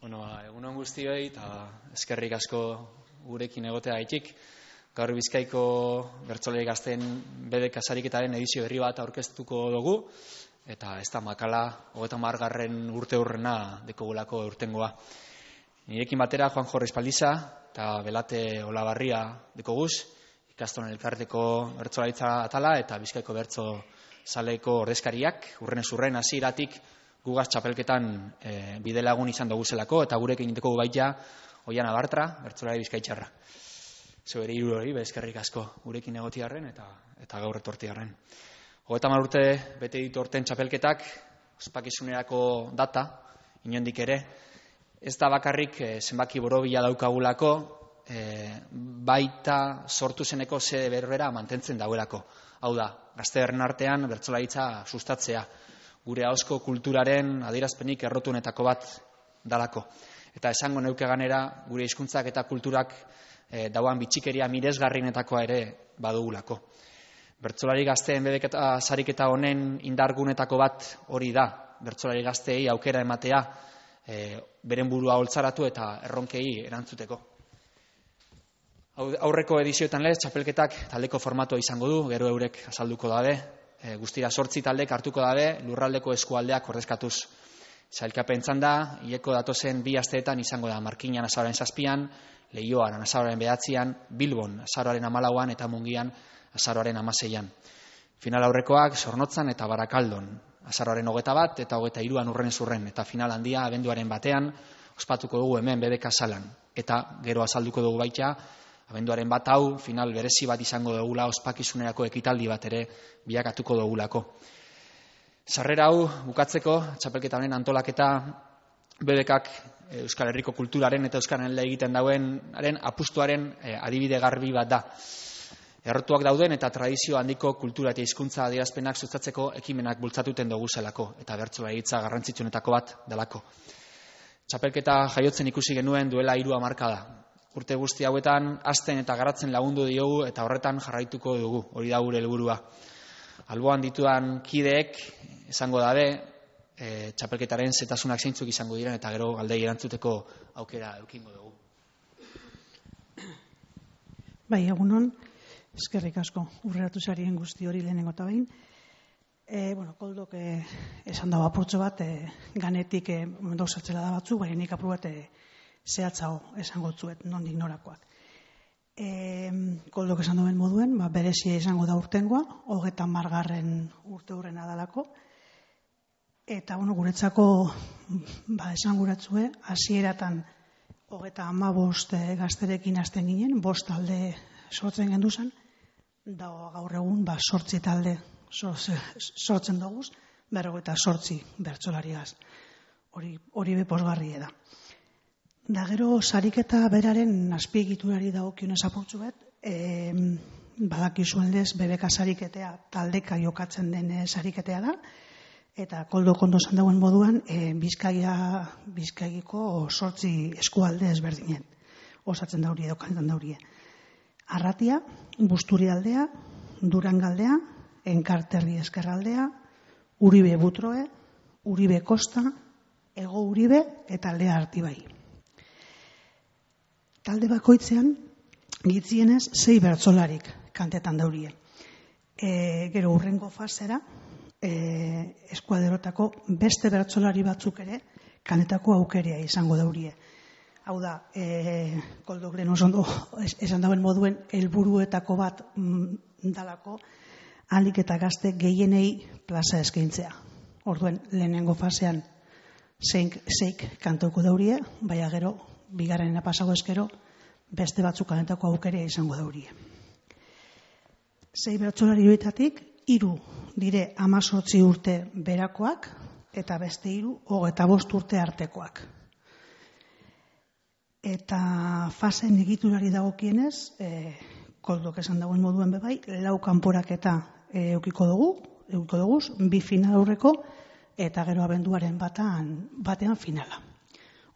Egunon guztioi eta eskerrik asko gurekin egotea gaitik. Gaur Bizkaiko bertsolari gazteen BDK sariketaren edizio berri bat aurkeztuko dugu, eta ez da makala 30. urte hurrena dekogulako urtengoa. Nirekin batera Juan Jorge Espaldiza eta Belate Olabarria dekoguz, ikastolen elkarteko bertsolaritza atala eta Bizkaiko bertso zaleko ordezkariak, urrenez urren hasieratik gugaz txapelketan bidelagun izan dugu zelako, eta gurekin egiteko baita Oiana Bartra, bertsolari bizkaitxarra. Zeu ere hiru hori, eskerrik asko gurekin egotiarren eta gaur etortiarren. 30 urte bete ditu orten txapelketak, ospakizunerako data, inondik ere, ez da bakarrik zenbaki borobila daukagulako, baita sortu zeneko zede berbera mantentzen dauelako. Hau da, gaztearen artean bertsolaritza sustatzea, gure ahozko kulturaren adierazpenik errotunetako bat dalako. Eta esango neuke ganera, gure hizkuntzak eta kulturak dauan bitxikeria miresgarrienetakoa ere badugulako. Bertsolari gazteen BDK sariketa honen indargunetako bat hori da, bertsolari gazteei aukera ematea, beren burua holtzaratu eta erronkei erantzuteko. Aurreko edizioetan lez, txapelketak taldeko formatua izango du, gero eurek azalduko dabe, guztira 8 taldek hartuko dabe, lurraldeko eskualdeak ordezkatuz. Sailkapen txanda, hileko datozen 2 asteetan izango da Markinan azaroaren 7an, Leioan azaroaren 9an, Bilbon azaroaren 14an eta Mungian azaroaren 16an. Final aurrekoak Zornotzan eta Barakaldon, azaroaren 21 eta 23an urrenez urren, eta final handia abenduaren 1an ospatuko dugu hemen BDK salan. Eta gero azalduko dugu baita, abenduaren 1 hau final berezi bat izango dugula, ospakizunerako ekitaldi bat ere bilakatuko dugulako. Sarrera hau bukatzeko, txapelketa honen antolaketa BDKak Euskal Herriko kulturaren eta Euskararen egiten dauenaren apustuaren adibide garbi bat da. Errotuak dauden eta tradizio handiko kultura eta hizkuntza adierazpenak sustatzeko ekimenak bultzatuten dugu zelako, eta bertsolaritza garrantzitsuenetako bat delako. Txapelketa jaiotzen ikusi genuen duela 3 hamarkada. Urte guzti hauetan hazten eta garatzen lagundu diogu eta horretan jarraituko dugu, hori da gure helburua. Alboan ditudan kideek esango dabe, txapelketaren zetasunak zeintzuk izango diren eta gero galdei erantzuteko aukera eukingo dugu. Bai, egunon, eskerrik asko urreratu zarien guzti hori lehenengo eta behin. Koldok esan dago apurtxo bat, ganetik dauzatxela da batzu, baina nik apur bat zehatzago esango tzuet, nondik norakoak. Koldok esan duen moduen, berezia izango da urtengoa, 30. urte hurrena dalako, eta guretzako esan guratzue, hasieratan 35 gazterekin hasten ginen, 5 talde sortzen genduzan, da gaur egun 8 talde sortzen doguz, 48 bertsolariaz. Hori beposgarri da. Da gero sariketa beraren azpiegiturari dagokionez apurtzuet, badakizuen lez BDK sariketea taldeka jokatzen den sariketea da, eta koldo kondo esan dauen moduan Bizkaiko 8 eskualde ezberdinen osatzen daurie, dokantan daurie. Arratia, Busturialdea, Durangaldea, Enkarterri Ezkerraldea, Uribe Butroe, Uribe Kosta, Ego Uribe eta Lea Artibai. Talde bakoitzean, gitzienez, 6 bertsolarik kantetan daurie. Gero urrengo fasera, eskuaderotako beste bertsolari batzuk ere kanetako aukerea izango daurie. Hau da, koldok lehen osondo esan dauen moduen helburuetako bat dalako, ahalik eta gazte gehienei plaza eskaintzea. Orduen, lehenengo fasean 6 kantoko daurie, baina gero, bigarrenena pasago eskero, beste batzuk kanetako aukerea izango daurie. 6 bertsolari horietatik, 3 dire 18 urte berakoak, eta beste 3 25 urte artekoak. Eta fasen egiturari dagokienez, koldok esan dagoen moduen bebai, 4 kanporaketa eukiko dugu, 2 final aurreko, eta gero abenduaren batean finala.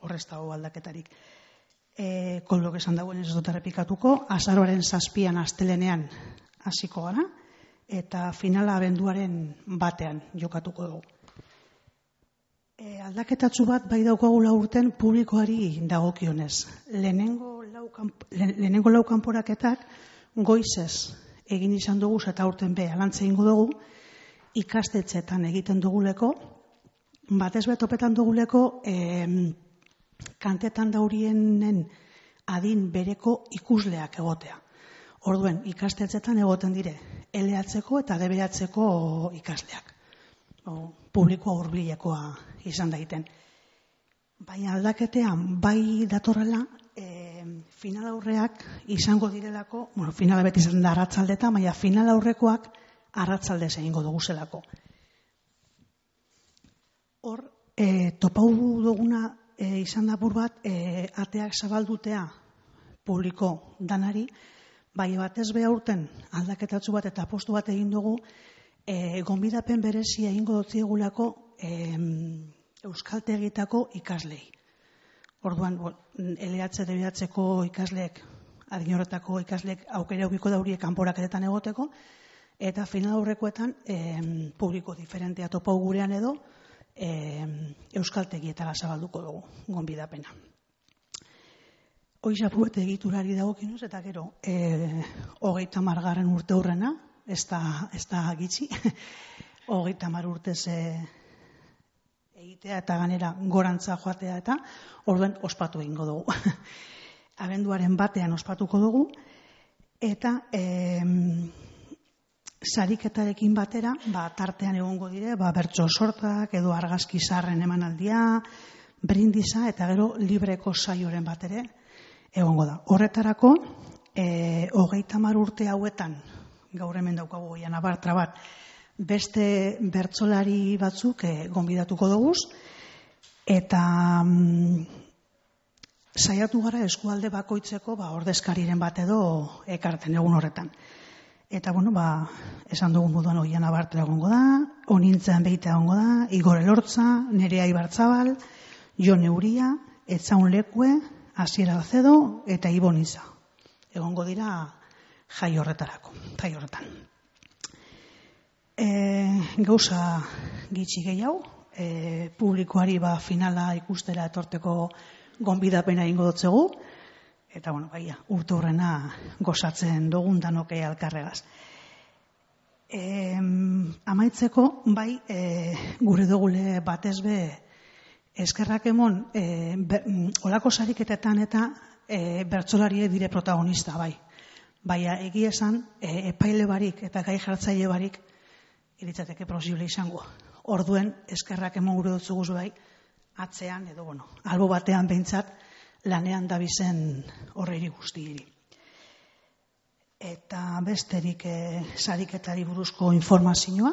Horrez dago aldaketarik. Koldok esan dagoen ez dut errepikatuko, azaroaren 7an astelenean hasiko gara, eta finala abenduaren batean jokatuko dugu. aldaketatxu bat bai daukagula urten publikoari dagokionez. Lehenengo lau kanporaketak goizez egin izan dugu eta aurten be alantze egingo dugu ikastetxetan egiten duguleko, batez topetan duguleko kantetan daurienen adin bereko ikusleak egotea. Orduen, ikastetxetan egoten dire LH-ko eta DBH-ko ikasleak. Publikoa hurbilekoa izan daiten. Baina aldaketean bai datorrela, final aurreak izango direlako, finala beti izan da arratsaldeta, baina final aurrekoak arratsaldez egingo dugu zelako. Hor, topau duguna izan da bur bat, ateak zabaldutea publiko danari, bai batez be aurten aldaketatzu bat eta apostu bat egin dugu, gonbidapen berezia egingo dotziegulako euskaltegietako ikaslei. Orduan, LH, DBH-ko ikasleek, adin horretako ikasleek aukera ubiko daurie kanporaketetan egoteko, eta final aurrekoetan publiko diferentea topau gurean edo euskaltegietara zabalduko dugu gonbidapena. Hoi zapuet egiturari dagokinuz, eta gero, 30. urte hurrena, ez da gitxi, 30 urtez egitea eta ganera gorantza joatea eta orduen ospatu egingo dugu. Abenduaren batean ospatuko dugu, eta sariketarekin batera, tartean egongo dire, bertso sortak edo argazki zaharren emanaldia, brindisa eta gero libreko saioren batere egongo da. Horretarako, 30 urte hauetan, gaur hemen daukagu goian abartra bat, beste bertsolari batzuk gonbidatuko duguz, eta saiatu gara eskualde bakoitzeko ordezkariren bat edo ekarten egun horretan. Eta, esan dugun moduan oian abartra egongo da, Onintzen Beita egongo da, Igor Elortza, Nerea Ibarzabal, Jon Euria, Etzaun Lekue, Asier Alcedo eta Ibon Iza. Egongo dira jai horretarako, jai horretan. Gauza gitxi gehiago, publikoari finala ikustera etorteko gonbidapena egingo dotzegu, eta urte hurrena gozatzen dugun danoke alkarregaz. Amaitzeko, gure dugule batez be eskerrak emon, olako sariketetan eta bertsolari dire protagonista, baina egia esan, epaile barik eta gai jartzaile barik iritzateke posible izango. Orduen, eskerrak emon gure dutzuguz atzean, edo albo batean behintzat, lanean dabizen horreiri guztiiri. Eta besterik sariketari buruzko informazioa,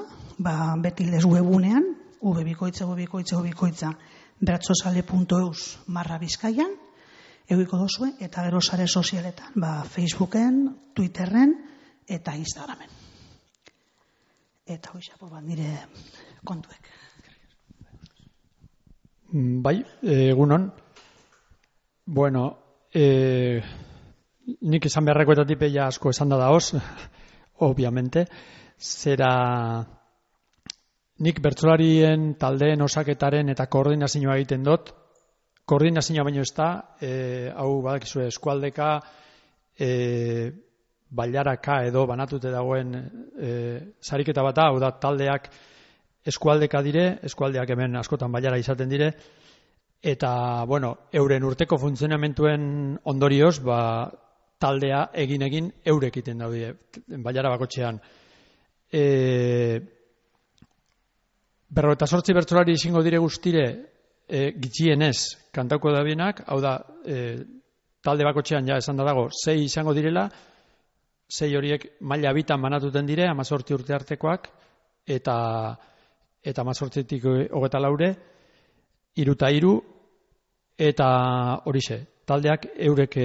beti lez webunean, ubikoitza, bertsozale.eus/Bizkaian, eguiko dozue, eta gero sare sozialetan, Facebooken, Twitterren eta Instagramen. Eta hoxapo nire kontuek. Egunon. Bueno, nik esan beharrekoetatik ja asko esan da daoz, obviamente, zera nik bertsolarien taldeen osaketaren eta koordinazioa egiten dut, koordinazioa baino ez da, hau badakizue eskualdeka, bailaraka edo banatute dagoen sariketa bata, hau da taldeak eskualdeka dire, eskualdeak hemen askotan bailara izaten dire, eta, euren urteko funtzionamentuen ondorioz, taldea egin eurek iten daude, bailara bakotxean. 58 bertsolari izango dire guztire, gitxienez kantauko da bienak, hau da, talde bakotxean ja esan da dago, 6 izango direla, 6 horiek maila bitan banatuten dire, 18 urte artekoak, eta 18tik 24, 3 eta horixe, taldeak eurek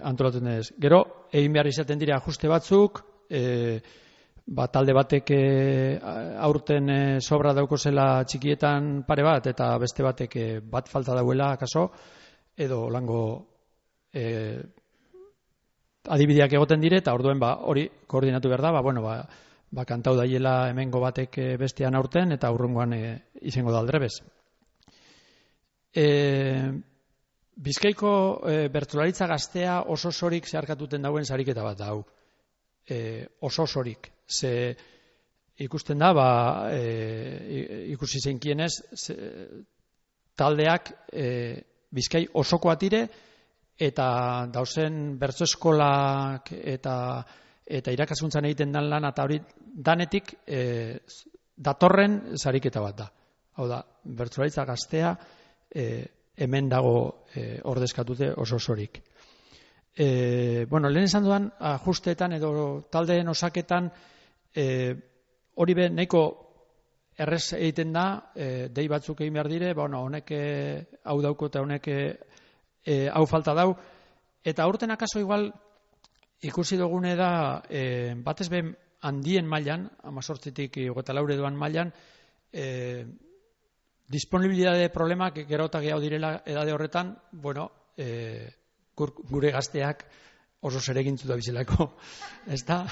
antolatzen ez. Gero, egin behar izaten dira ajuste batzuk, talde batek aurten sobra dauko zela txikietan pare bat, eta beste batek bat falta dauela, akaso, edo lango adibideak egoten dire, eta orduen hori koordinatu behar da, kantau daiela hemengo batek bestean aurten, eta urrungoan izango da aldrebez. Bizkaiko bertsolaritza gaztea oso sorik zeharkatuten dauen sariketa bat da hau. Oso sorik. Ze ikusten da, ikusi zeinkienez, taldeak Bizkai osoko atire, eta dauzen bertso eskolak eta irakaskuntzan egiten dan lan, eta hori danetik datorren sariketa bat da. Hau da, bertsolaritza gaztea hemen dago ordezkatute oso sorik. Lehen esan duan, ajusteetan edo taldeen osaketan hori be nahiko errez egiten da, dei batzuk egin behar dire, honek hau dauko eta honek hau falta dau, eta aurten akaso igual ikusi dugune da, batez ben handien mailan, 18tik 24 edoan mailan, disponibilitate problemak gero eta gehiago direla edade horretan, gure gazteak oso zeregintzu da bizelako, ez da?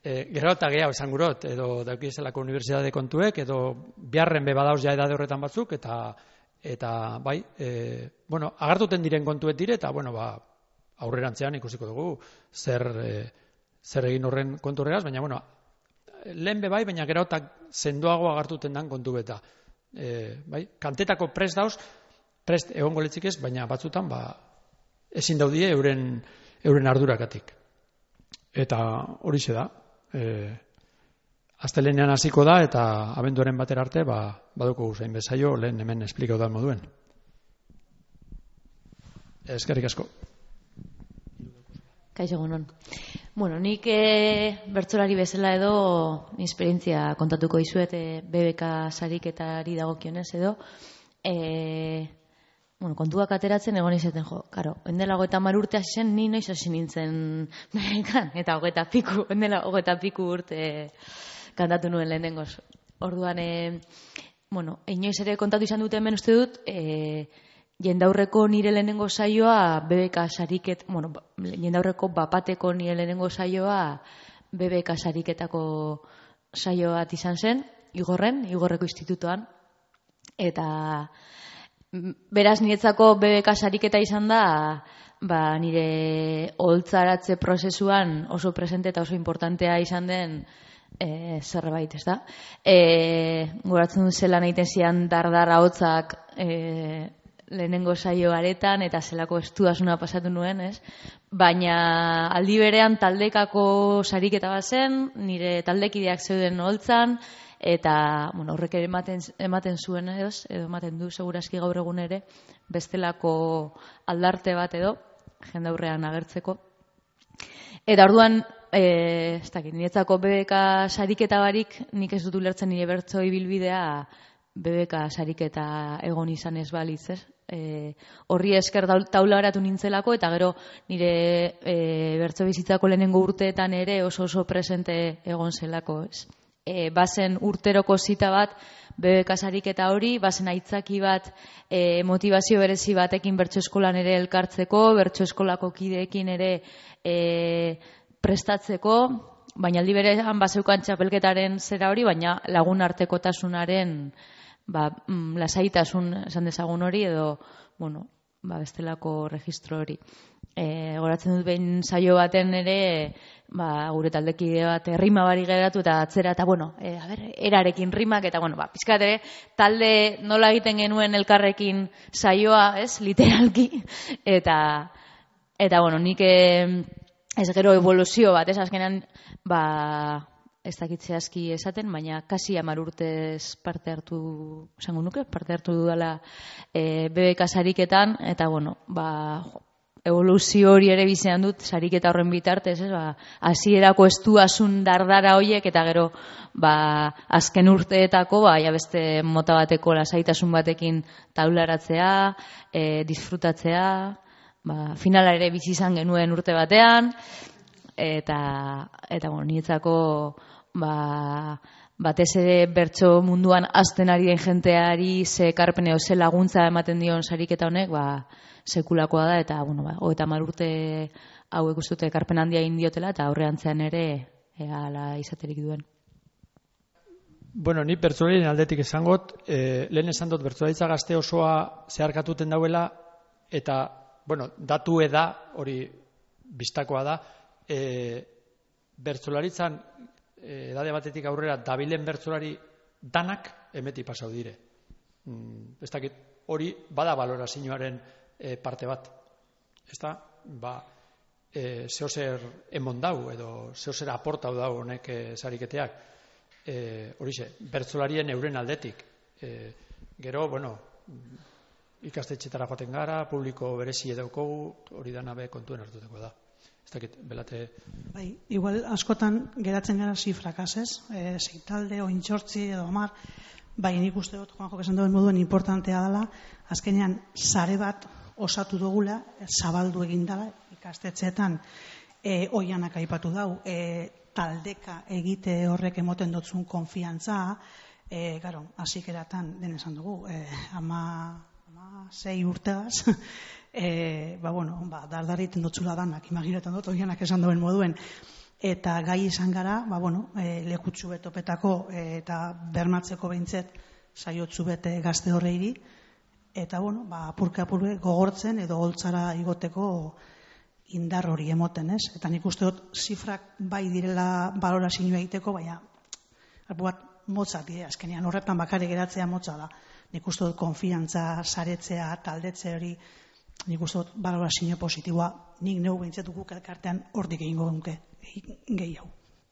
Gero eta gehiago esan gurot, edo daukizelako unibertsitate kontuek, edo biharren bebadauz ja edade horretan batzuk, eta bai, agartuten diren kontuet dire, eta aurrerantzean ikusiko dugu zer egin horren kontu horregaz, baina lehen bebai, baina gero eta sendoago agartuten dan kontu beta. Kantetako prest dauz, prest egongo letzik ez, baina batzutan ezin daudie euren ardurakatik. Eta horixe da. Astelehenean hasiko da, eta abenduaren batera arte baduko zain bezaio lehen hemen esplikau da moduen. Eskerrik asko. Kaixo egunon. Nik bertsolari bezala edo esperientzia kontatuko dizuet BBK sariketari dagokionez edo kontuak ateratzen egon izaten endela 30 urte hasi zen, ni noiz hasi nintzen BBK-an, eta 20 piku urte kantatu nuen lehenengoz. Orduan, inoiz ere kontatu izan dute hemen uste dut, jendaurreko nire lehenengo saioa BBK sariket, jendaurreko bapateko nire lehenengo saioa BBK sariketako saio bat izan zen, Igorreko institutoan, eta beraz niretzako BBK sariketa izan da, nire oholtzaratze prozesuan oso presente eta oso importantea izan den zerbait, ez da? Goratzen dut zelan egiten zian dardara hotzak lehenengo saio aretan, eta zelako estuasuna pasatu nuen, ez? Baina aldi berean taldekako sariketa bat zen, nire taldekideak zeuden oholtzan, eta horrek ematen zuen edo ematen du segurazki gaur egun ere bestelako aldarte bat edo jendaurrean agertzeko. Eta orduan, niretzako BBK sariketa barik, nik ez dut ulertzen nire bertso ibilbidea BBK sariketa egon izan ez balitz, ez? Horri esker taula haratu nintzelako, eta gero nire bertso bizitzako lehenengo urteetan ere oso presente egon zelako, ez? Bazen urteroko zita bat BBK sariketa hori, bazen aitzaki bat motivazio berezi batekin bertso eskolan ere elkartzeko, bertso eskolako kideekin ere prestatzeko, baina aldi berean bazeukan txapelketaren zera hori, baina lagun artekotasunaren lasaitasun esan dezagun hori, edo bestelako registro hori. Goratzen dut behin saio baten ere, gure taldekide bat rima bari geratu eta atzera, eta erarekin rimak, eta pizkat ere talde nola egiten genuen elkarrekin saioa, ez, literalki, eta nik ez gero evoluzio bat, ez, azkenan ez dakitze aski esaten, baina kasi 10 urtez parte hartu dudala BBK sariketan, eta evoluzio hori ere bizean dut sariketa horren bitartez, hasierako estuasun dardara hoiek, eta gero azken urteetako beste mota bateko lasaitasun batekin taularatzea, disfrutatzea, finala ere bizi izan genuen urte batean, eta niretzako batez ere bertso munduan hasten ari den jenteari ze ekarpen edo ze laguntza ematen dion sariketa honek, sekulakoa da, eta 30 urte hauek uste dute ekarpen handia egin diotela, eta aurreantzean ere hala izaterik duen. Bueno, ni bertsolarien aldetik esangot, lehen esan dut bertsolaritza gazte osoa zeharkatuten dauela, eta, bueno, datu da, hori bistakoa da, bertsolaritzan edade batetik aurrera dabilen bertsolari danak emeti pasau dire. Ez dakit, hori bada balorazioaren parte bat. Ez da, zehozer emon dau, edo zehozer aportau dau honek sariketeak. Horixe, bertsolarien euren aldetik. Gero, bueno, ikastetxetara joaten gara, publiko berezi edaukogu, hori dana be kontuen hartuteko da. Ez dakit, belate... Bai, igual askotan geratzen gara zifrakaz, ez? Sei talde, ointxortzi edo 10, bai, nik uste dut, Juanjo esan duen moduen importantea dela, azkenean sare bat osatu dugula, zabaldu egin dela, ikastetxeetan oianak aipatu dau, taldeka egite horrek emoten dotzun konfiantza, hasikeratan den esan dugu, 16 urtegaz, dardariten dotzula danak, imaginetan dut, oianak esan duen moduen, eta gai izan gara, lekutsu betopetako eta bermatzeko behintzet saiotzu bete gazte horreiri, eta apurke gogortzen edo holtzara igoteko indar hori emoten, ez? Eta nik uste dut zifrak bai direla balorazioa egiteko, baina bat motza dire, azkenean horretan bakare geratzea motza da. Nik uste dut konfiantza, saretzea, taldetze hori, nik uste dut balorazio positiboa, nik neu behintzat guk elkartean hortik egingo duke gehiago.